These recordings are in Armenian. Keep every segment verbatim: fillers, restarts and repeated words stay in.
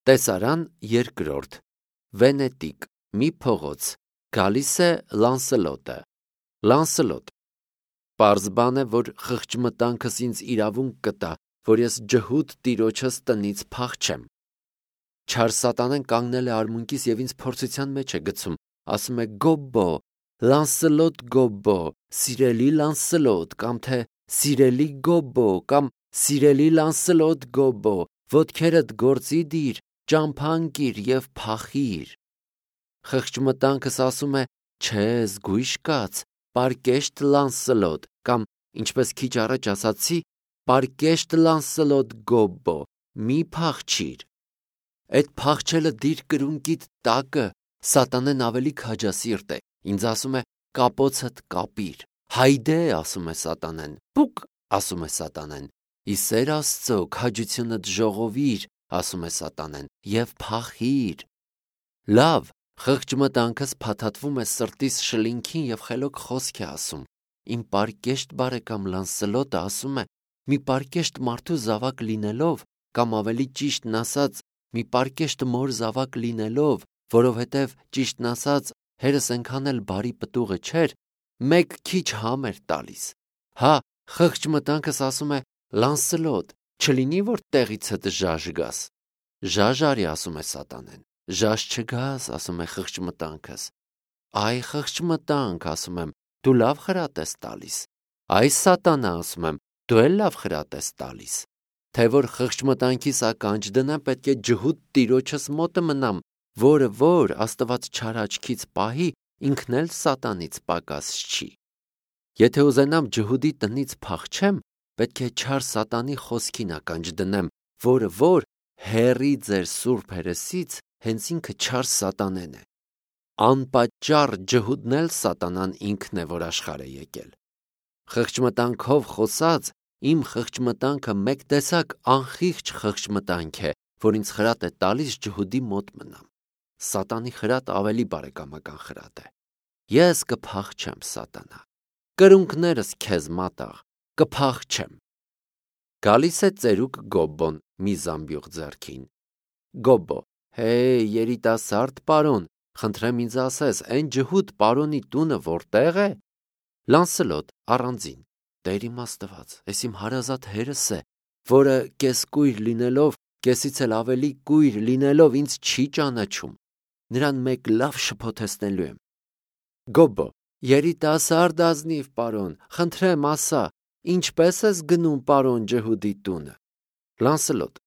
Տեսարան երկրորդ, Վենետիկ, մի փողոց, գալիս է Լանսելոտը, Լանսելոտ, պարզ բան է, որ խղճմտանքս ինձ իրավունք կտա, որ ես ջհուդ տիրոջս տնից փախչեմ։ Չար սատանեն կանգնել է արմունկիս և ինձ փորձության մեջ է գցում, ասում է Գոբբո, Լանսելոտ Գոբբո, սիրելի Լանսելոտ, կամ թե սիրելի Գոբբո, կամ սիրելի Լանսելոտ Գոբբո, ոտքերդ գործի դիր, ճամփան կիր և փախիր։ Խղճմտանքս ասում է չէ, զգույշ կաց, պարկեշտ Լանսելոտ, կամ ինչպես քիչ առաջ ասացի, պարկեշտ Լանսելոտ Գոբբո, մի փախչիր։ Այդ փախչելը դիր կրունկիդ տակը, սատանեն ավելի քաջասիրտ է, ինձ ասում է կապոցդ կապիր, հայդե, ասում է սատանեն, պուկ, ասում է սատանեն, ի սեր Աստծո քաջությունդ ժողովիր, ասում է սատանեն, և փախիր։ Լավ, խղճմտանքս փաթաթվում է սրտիս շլինքին և խելոք խոսք է ասում։ Իմ պարկեշտ բարեկամ Լանսելոտը ասում է, մի պարկեշտ մարդու զավակ լինելով, կամ ավելի ճիշտն ասած, մի պարկեշտ մոր զավակ լինելով, որովհետև ճիշտն ասած, հերս այնքան էլ բարի պտուղը չէր, մեկ քիչ համ էր տալիս։ Հա, խղճմտանքս ասում է Լանսելոտ, չլինի, որ տեղիցդ ժաժ գաս։ Ժաժ արի, ասում է սատանեն, ժաժ չգաս, ասում է խղճմտանքս։ Այ խղճմտանք, ասում եմ, դու լավ խրատ ես տալիս։ Այ սատանա, ասում եմ, դու էլ լավ խրատ ես տալիս։ Թե որ խղճմտանքիս ականջ դնեմ, պետք է ջհուդ տիրոջս մոտը մնամ, որը որ Աստված չար աչքից պահի, ինքն էլ սատանից պակաս չի։ Եթե ուզենամ ջհուդի տնից փախչեմ, պետք է չար սատանի խոսքին ականջ դնեմ, որը որ հեռի ձեր սուրբ հերեսից, հենց ինքը չար սատանեն է։ Անպատճառ ջհուդն էլ սատանան ինքն է, որ աշխարհ է եկել։ Խղճմտանքով խոսած, իմ խղճմտանքը մեկ տեսակ անխիղճ խղճմտանք է, որ ինձ խրատ է տալիս ջհուդի մոտ մնամ։ Սատանի խրատ ավելի բարեկամական խրատ է։ Ես կփախչեմ, սատանա, կրունկներս քեզ մատաղ, կփախչեմ։ Գալիս է ծերուկ Գոբբոն մի զամբյուղ ձեռքին։ Գոբբո, հեյ, երիտասարդ պարոն, խնդրեմ ինձ ասես, այն ջհուդ պարոնի տունը որտեղ է։ Լանսելոտ, առանձին, Տեր իմ Աստված, ես իմ հարազատ հերս է, որը կեսկույր լինելով, կեսից էլ ավելի կույր լինելով ինձ չի ճանաչում, նրան մեկ լավ շփոթեցնելու եմ։ Գոբբո, երիտասարդ ազնիվ պարոն, խնդրեմ ասա, ինչպես ես գնում պարոն ջհուդի տունը։ Լանսելոտ,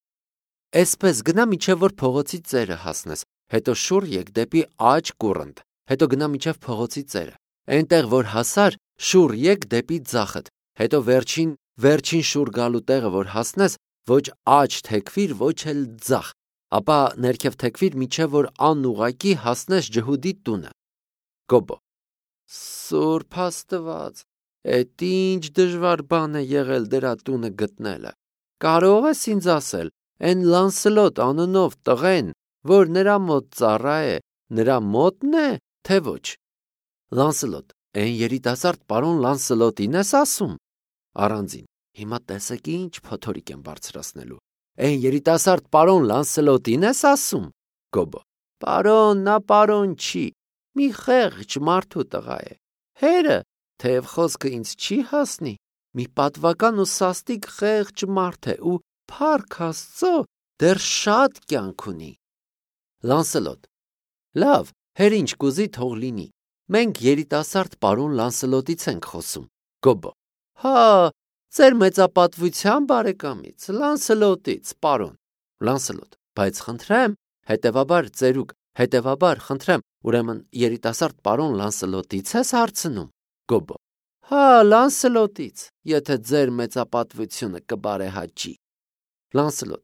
այսպես գնա մինչև որ փողոցի ծերը հասնես, հետո շուռ եկ դեպի աջ կուռընդ, հետո գնա մինչև փողոցի ծերը, այնտեղ որ հասար, շուռ եկ դեպի ձախդ, հետո վերջին վերջին շուռ գալու տեղը որ հասնես, ոչ աջ թեքվիր, ոչ էլ ձախ, ապա ներքև թեքվիր մինչև որ անուղակի հասնես ջհուդի տունը։ Գոբբո, Սուրբ Աստված, էդ ինչ դժվար բան է եղել դրա տունը գտնելը։ Կարող ես ինձ ասել, այն Լանսելոտ անունով տղեն, որ նրա մոտ ծառա է, նրա մոտն է, թե ոչ։ Լանսելոտ, այն երիտասարդ պարոն Լանսելոտին ես ասում։ Առանձին, հիմա տեսեք ինչ փոթորիկ եմ բարձրացնելու։ Այն երիտասարդ պարոն Լանսելոտին ես ասում։ Գոբբո, պարոն, նա պարոն չի, մի խեղճ մարդու տղա է։ Հերը, թեև խոսքը ինձ չի հասնի, մի պատվական ու սաստիկ խեղճ մարդ է ու փառք Աստծո, դեռ շատ կյանք ունի։ Լանսելոտ, լավ, հեր ինչ կուզի թող լինի։ Մենք երիտասարդ պարոն Լանսելոտից ենք խոսում։ Գոբբո, հա, ձեր մեծապատվության բարեկամից, Լանսելոտից, պարոն։ Լանսելոտ, բայց խնդրեմ, հետևաբար ծերուկ, հետևաբար խնդրեմ, ուրեմն երիտասարդ պարոն Լանսելոտից ես հարցնում։ Գոբբո, հա, Լանսելոտից, եթե ձեր մեծապատվությունը կբարեհաճի։ Լանսելոտ,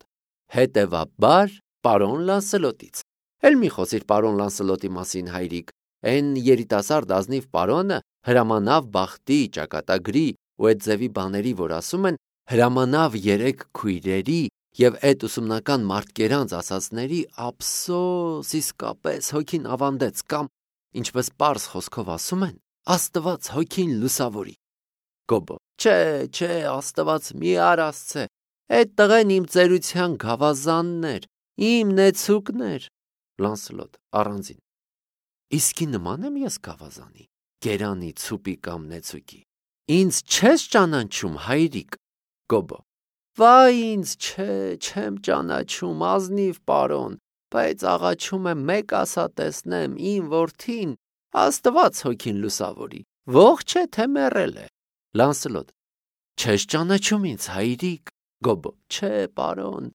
հետևաբար պարոն Լանսելոտից։ Էլ մի խոսիր պարոն Լանսելոտի մասին, հայրիկ, այն երիտասարդ ազնիվ պարոնը հրամանավ բախտի, ճակատագրի ու այդ ձևի բաների, որ ասում են, հրամանավ երեք քույրերի և այդ ուսումնական մարդկերանց ասածների ափսոս, իսկապես հոգին ավանդեց կամ, ինչպես պարզ խոսքով ասում են, Աստված հոգին լուսավորի։ Գոբբո, չէ, չէ, Աստված մի արասցե, այդ տղեն իմ ծերության գավազանն էր, Իմ նեցուկներ, Լանսելոտ առանձին։ Իսկի նման եմ ես գավազանի, գերանի, ցուպի կամ նեցուկի։ Ինձ չես ճանաչում, հայրիկ, Գոբո։ Վայ ինձ չէ, չեմ ճանաչում, ազնիվ պարոն, բայց աղաչում եմ մեկ ասա տեսնեմ իմ որդին, Աստված հոգին լուսավորի, ողջ է թե մեռել է։ Լանսելոտ. Չես ճանաչում ինձ, հայրիկ, Գոբո։ Չէ, պարոն,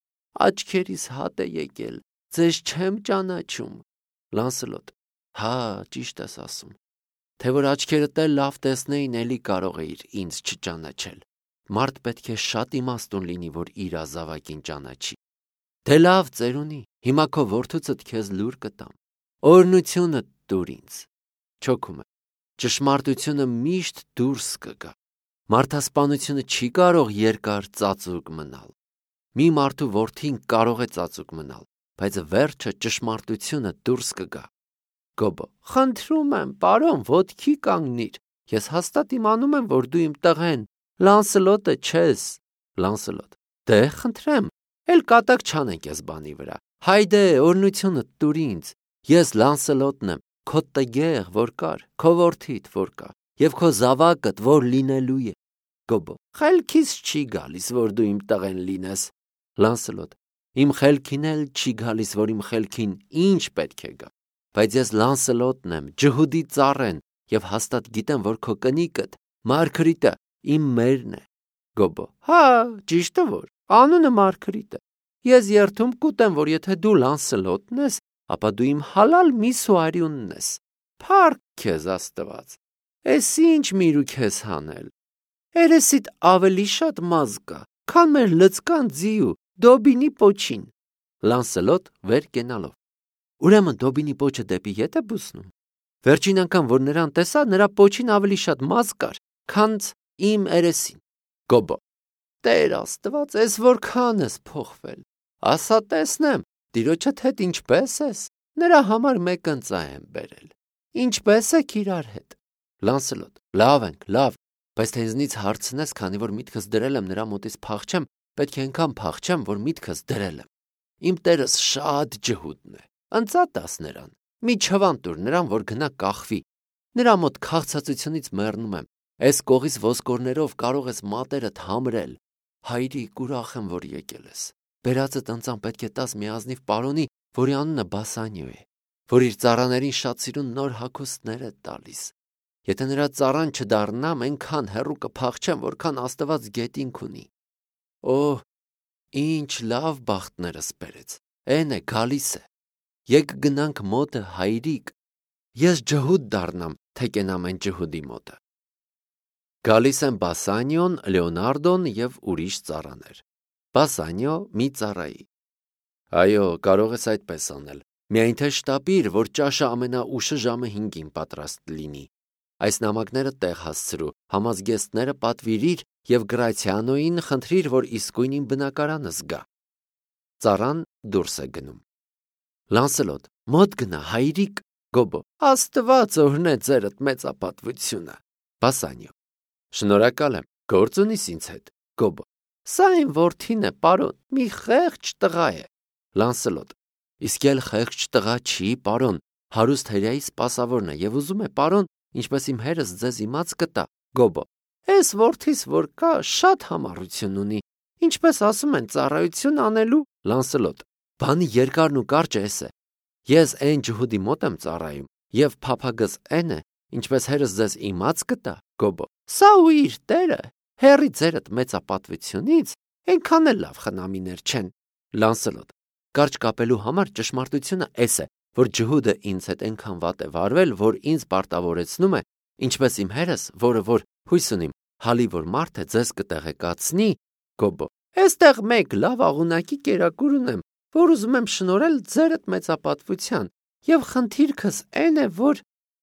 աչքերիս հատ է եկել, ձեզ չեմ ճանաչում։ Լանսելոտ. Հա, ճիշտ ես ասում, թե որ աչքերդ էլ լավ տեսնեին, էլի կարող էիր ինձ չճանաչել։ Մարդ պետք է շատ իմաստուն լինի, որ իր ազավակին ճանաչի։ Դե լավ, ծերունի, հիմա քո որդուցդ քեզ լուր կտամ։ Օրհնությունը տուր ինձ։ Չոքում է։ Ճշմարտությունը միշտ դուրս կգա։ Մարդասպանությունը չի կարող երկար ծածուկ մնալ։ Մի մարդու որդին կարող է ծածուկ մնալ, բայց վերջը ճշմարտությունը դուրս կգա։ Գոբո. Խնդրում եմ, պարոն, ոտքի կանգնիր։ Ես հաստատ իմանում եմ, որ դու իմ տղեն, Լանսելոտը չես։ Լանսելոտ. Դե խնդրեմ, էլ կատակ չանենք ես բանի վրա։ Հայդե, օրհնությունը տուր ինձ։ Ես Լանսելոտն եմ, քո տգեղ, որ կար, քո որդիդ, որ կա, եւ քո զավակդ, որ լինելու է։ Գոբո. Խելքիս չի գալիս, որ դու իմ տղեն լինես։ Լանսելոտ. Իմ խելքին էլ չի գալիս, որ իմ խելքին ինչ պետք է գա։ Բայց ես Լանսելոտն եմ, ջհուդի ծառեն, եւ հաստատ գիտեմ, որ քո կնիկդ, Մարգրիտը, իմ մերն է։ Գոբո. Հա, ճիշտը որ, անունը Մարգրիտ է։ Ես երդում կուտեմ, որ եթե դու Լանսելոտն ես, ապա դու իմ հալալ միսուարյունն ես։ Փառք քեզ Աստված։ Էս ինչ միրուք ես հանել։ Երեսիդ ավելի շատ մազ կա, քան մեր լծկան ձիու Դոբինի պոչին։ Լանսելոտ վեր կենալով. Ուրեմն Դոբինի պոչը դեպի ետ է բուսնում։ Վերջին անգամ, որ նրան տեսա, նրա պոչին ավելի շատ մազ կար, քան իմ երեսին։ Գոբո. Տեր Աստված, ես որքան ես փոխվել։ Ասա տեսնեմ, տիրոջդ հետ ինչպես ես։ Նրա համար մեկ ընծա եմ բերել։ Ինչպես եք իրար հետ։ Լանսելոտ. Լավ ենք, լավ, բայց թե ինձնից հարցնես, քանի որ միտքս դրել եմ նրա մոտից փախչեմ, պետք է այնքան փախչեմ, որ միտքս դրել եմ։ Իմ տերս շատ ջհուդն է։ Ընծա տաս նրան։ Մի չվան տուր նրան, որ գնա կախվի։ Նրա մոտ քաղցածությունից մեռնում եմ։ Այս կողից ոսկորներով կարող ես մատերդ համրել։ Հայրիկ, ուրախ եմ, որ եկել ես։ Բերածդ ընծան պետք է տաս մի ազնիվ պարոնի, որի անունը Բասանիո է, որ իր ծառաներին շատ սիրուն նոր հագուստներ է տալիս։ Եթե նրա ծառան չդառնամ, այնքան հեռու կփախչեմ, որքան Աստված գետինք ունի։ Օհ, ինչ լավ բախտներս բերեց։ Էն է, գալիս է։ Եկ գնանք մոտը, հայրիկ։ Ես ջհուդ դառնամ, թե կենամ այն ջհուդի մոտը։ Գալիս են Բասանիոն, Լեոնարդոն եւ ուրիշ ծառաներ։ Բասանիո մի ծառայի. Այո, կարող ես այդպես անել։ Միայն թե շտապիր, որ ճաշը ամենաուշը ժամը հինգին պատրաստ լինի։ Այս նամակները տեղ հասցրու, համազգեստները պատվիրիր եւ Գրացիանոին խնդրիր, որ իսկույն իմ բնակարանը զգա։ Ծառան դուրս է գնում։ Լանսելոտ. Մոտ գնա, հայրիկ։ Գոբո. Աստված օրհնե ձերդ մեծապատվությունը։ Բասանիո. Շնորհակալ եմ, գործ ունիս ինձ հետ։ Գոբո. Սա իմ որդին է, պարոն, մի խեղճ տղա է։ Լանսելոտ. Իսկ էլ խեղճ տղա չի, պարոն, հարուստ հրեայի սպասավորն է եւ ուզում է, պարոն, ինչպես իմ հերս ձեզ իմաց կտա։ Գոբո. Էս որդիս որ կա, շատ համառություն ունի, ինչպես ասում են, ծառայություն անելու։ Լանսելոտ. Բանի երկարն ու կարճը էս է։ Ես այն ջհուդի մոտ եմ ծառայում եւ փափագս այն է, ինչպես հերս ձեզ իմաց կտա։ Գոբո. Սա ու իր տերը, հերի ձերդ մեծապատվությունից, այնքան էլ լավ խնամիներ չեն։ Լանսելոտ. Կարճ կապելու համար ճշմարտությունը էս է, որ ջհուդը ինձ հետ այնքան վատ է վարվել, որ ինձ պարտավորեցնում է, ինչպես իմ հերս, որը որ հույս ունիմ, հալի որ մարդը ձեզ կտեղեկացնի։ Գոբո. Էստեղ մեկ լավ աղունակի կերակուր ունեմ, որ ուզում եմ շնորհել ձերդ մեծապատվության, եւ խնդիրքս այն է, որ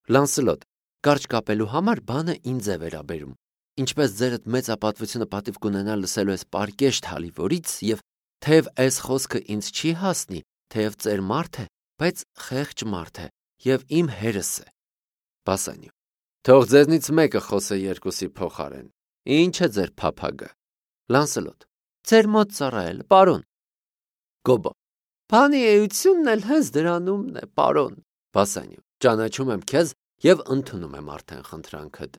Լանսելոտ. Կարճ կապելու համար բանը ինձ է վերաբերում։ Ինչպես ձերդ մեծապատվությունը պատիվ կունենա լսելու ես պարկեշտ հալի որից եւ թեև այս խոսքը ինձ չի հասնի, թեև ծեր մարդ է, բայց խեղճ մարդ է եւ իմ հերս է։ Բասանիո. Թող ձեզնից մեկը խոսե երկուսի փոխարեն։ Ինչ է ձեր փափագը։ Լանսելոտ. Ձեր մոտ ծառայել, պարոն։ Գոբո. Բանի էությունն էլ հենց դրանումն է, պարոն, Բասանյո, ճանաչում եմ քեզ և ընդունում եմ արդեն խնդրանքդ։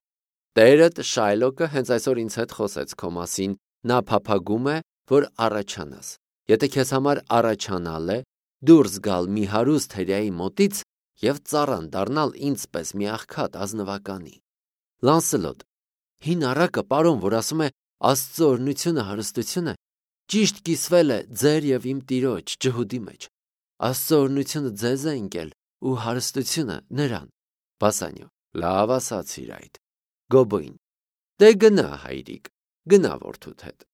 Տերդ Շայլոկը հենց այսօր ինձ հետ խոսեց քո մասին, նա փափագում է, որ առաջանաս։ Եթե քեզ համար առաջանալ է, դուրս գալ մի հարուստ հրեայի մոտից և ծառան դառնալ ինձ պես մի աղքատ ազնվականի։ Լանսելոտ, հին առակը, պարոն, որ ասում է Աստծո օրհնությունը հարստություն է, ճիշտ կիսվել է ձեր և իմ տիրոջ ջհուդի մեջ։ Աստծո օրհնությունը ձեզ է ընկել ու հարստությունը նրան։ Բասանյո, լավ ասացիր այդ։ Գոբոյն, դե գնա հայրիկ, գնա որդուդ հետ։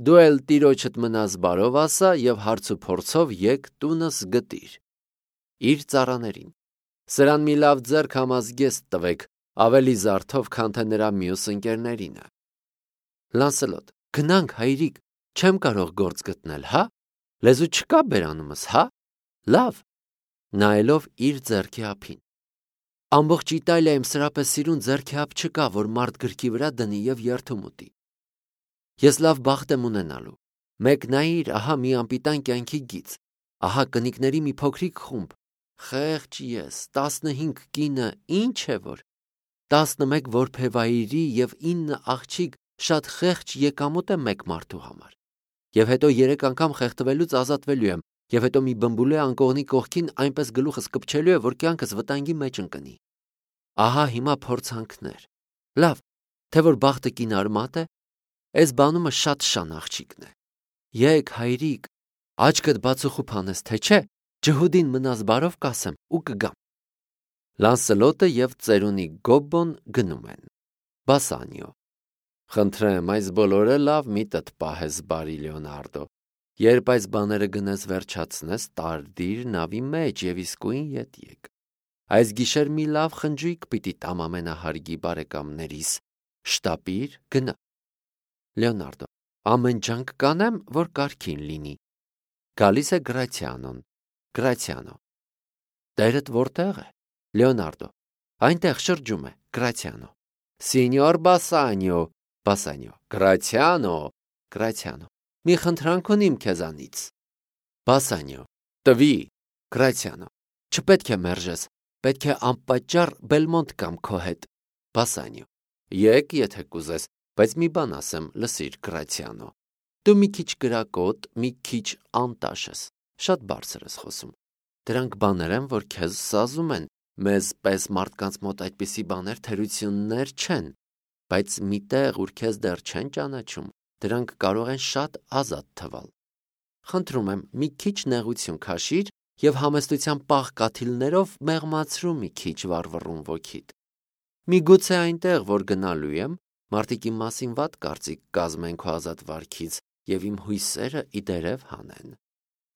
Դու էլ տիրոջդ մնաս բարով ասա և հարց ու փորձով եկ տունս գտիր։ Իր ծառաներին, սրան մի լավ ձեռք համազգեստ տվեք, ավելի զարթով, քան թե նրա մյուս ընկերներինը։ Լանսելոտ, գնանք հայրիկ, չեմ կարող գործ գտնել, հա, լեզու չկա բերանումս, հա, լավ, նայելով իր ձեռքի ափին։ Ամբողջ Իտալիայում սրապես սիրուն ձեռքի ափ չկա, որ մարդ գրքի վրա դնի և երդում ուտի։ Ես լավ բախտ եմ ունենալու, մեկ նայիր, ահա մի անպիտան կյանքի գիծ, ահա կնիկների մի փոքրիկ խումբ, խեղճ ես, տասնհինգ կինը, ինչ է որ, տասնմեկ որբևայրի և ինը աղջիկ, շատ խեղճ եկամուտ է մեկ մարդու համար։ Եվ հետո երեք անգամ խեղդվելուց ազատվելու եմ, և հետո մի բմբուլե անկողնի կողքին այնպես գլուխս կպչելու է, որ կյանքս վտանգի մեջ ընկնի։ Ահա հիմա փորձանքներ։ Լավ, թե որ բախտը կինարմատ է, այս բանումը շատ շան աղջիկն է։ Եկ հայրիկ, աչքդ բացուխուփ անես, թե չէ, ջհուդին մնաս բարով կասեմ ու կգամ։ Լանսելոտը և ծերունի Գոբբոն գնում են։ Բասանյո, խնդրեմ, այս բոլորը լավ միտդ պահես, բարի Լեոնարդո, երբ այս բաները գնես վերջացնես, տարդիր նավի մեջ և իսկույն ետ եկ։ Այս գիշեր մի լավ խնջույք պիտի տամ ամենահարգի բարեկամներիս, շտապիր, գնա։ Լեոնարդո, ամեն ջանք կանեմ, որ կարգին լինի։ Գալիս է Գրացիանոն։ Գրացիանո, տերդ որտեղ է։ Լեոնարդո, այնտեղ շրջում է, Գրացիանո։ Սինյոր Բասանյո, Բասանյո, Գրացիանո, Գրացիանո, մի խնդրանք ունիմ քեզանից։ Բասանյո, տվի, Գրացիանո, չպետք է մերժես, պետք է անպատճառ Բելմոնտ կամ քո հետ։ Բասանյո, եկ, եթե կուզես, բայց մի բան ասեմ, լսիր, Գրացիանո, դու մի քիչ կրակոտ, մի քիչ անտաշ ես, շատ բարձր ես խոսում։ Դրանք բաներ են, որ քեզ սազում են, մեզ պես մարդկանց մոտ այդպիսի բաներ թերություններ չեն, բայց միտեղ, ուր քեզ դեռ չեն ճանաչում, դրանք կարող են շատ ազատ թվալ։ Խնդրում եմ, մի քիչ նեղություն քաշիր և համեստության պաղ կաթիլներով մեղմացրու մի քիչ վառվռուն ոգիդ։ Միգուցե այնտեղ, որ գնալու եմ, մարդիկ իմ մասին վատ կարծիք կազմեն քո ազատ վարքից և իմ հույսերը իդերև հանեն։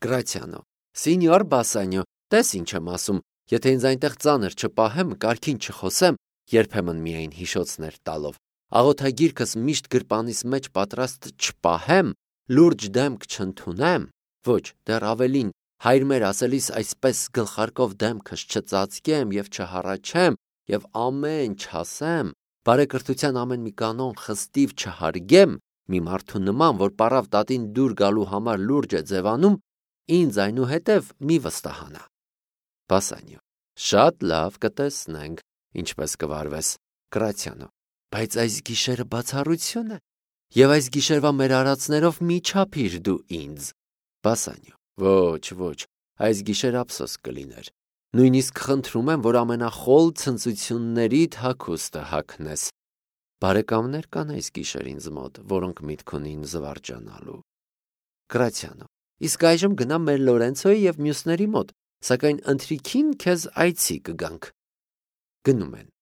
Գրացիանո, Սինյոր Բասանյո, տես ինչ եմ ասում, եթե ինձ այնտեղ ծանր չպահեմ, կարգին չխոսեմ, երբեմն միայն հիշոցներ տալով, աղոթագիրքս միշտ գրպանիս մեջ պատրաստ չպահեմ, լուրջ դեմք չընդունեմ, ոչ, դեռ ավելին, հայր մեր ասելիս այսպես գլխարկով դեմքս չծածկեմ և չհառաչեմ և ամեն չասեմ, բարեկրթության ամեն մի կանոն խստիվ չհարգեմ, մի մարդու նման, որ պառավ տատին դուր գալու համար լուրջ է ձևանում, ինձ այնուհետև մի վստահանա։ Բասանյո, շատ լավ, կտեսնենք, ինչպես կվարվես։ Գրացիանո, բայց այս գիշերը բացառություն է, և այս գիշերվա մեր արածներով մի չափիր դու ինձ։ Բասանյո, ոչ, ոչ, այս գիշեր ափսոս կլիներ։ Նույնիսկ խնդրում եմ, որ ամենախոլ ցնծություններիդ հագուստը հագնես։ Բարեկամներ կան այս գիշեր ինձ մոտ, որոնք միտք ունին զվարճանալու։ Գրացիանո, իսկ այժմ գնամ մեր Լորենցոյի և մյուսների մոտ, սակայն ընթրիքին քեզ այցի կգանք։ Գնում են։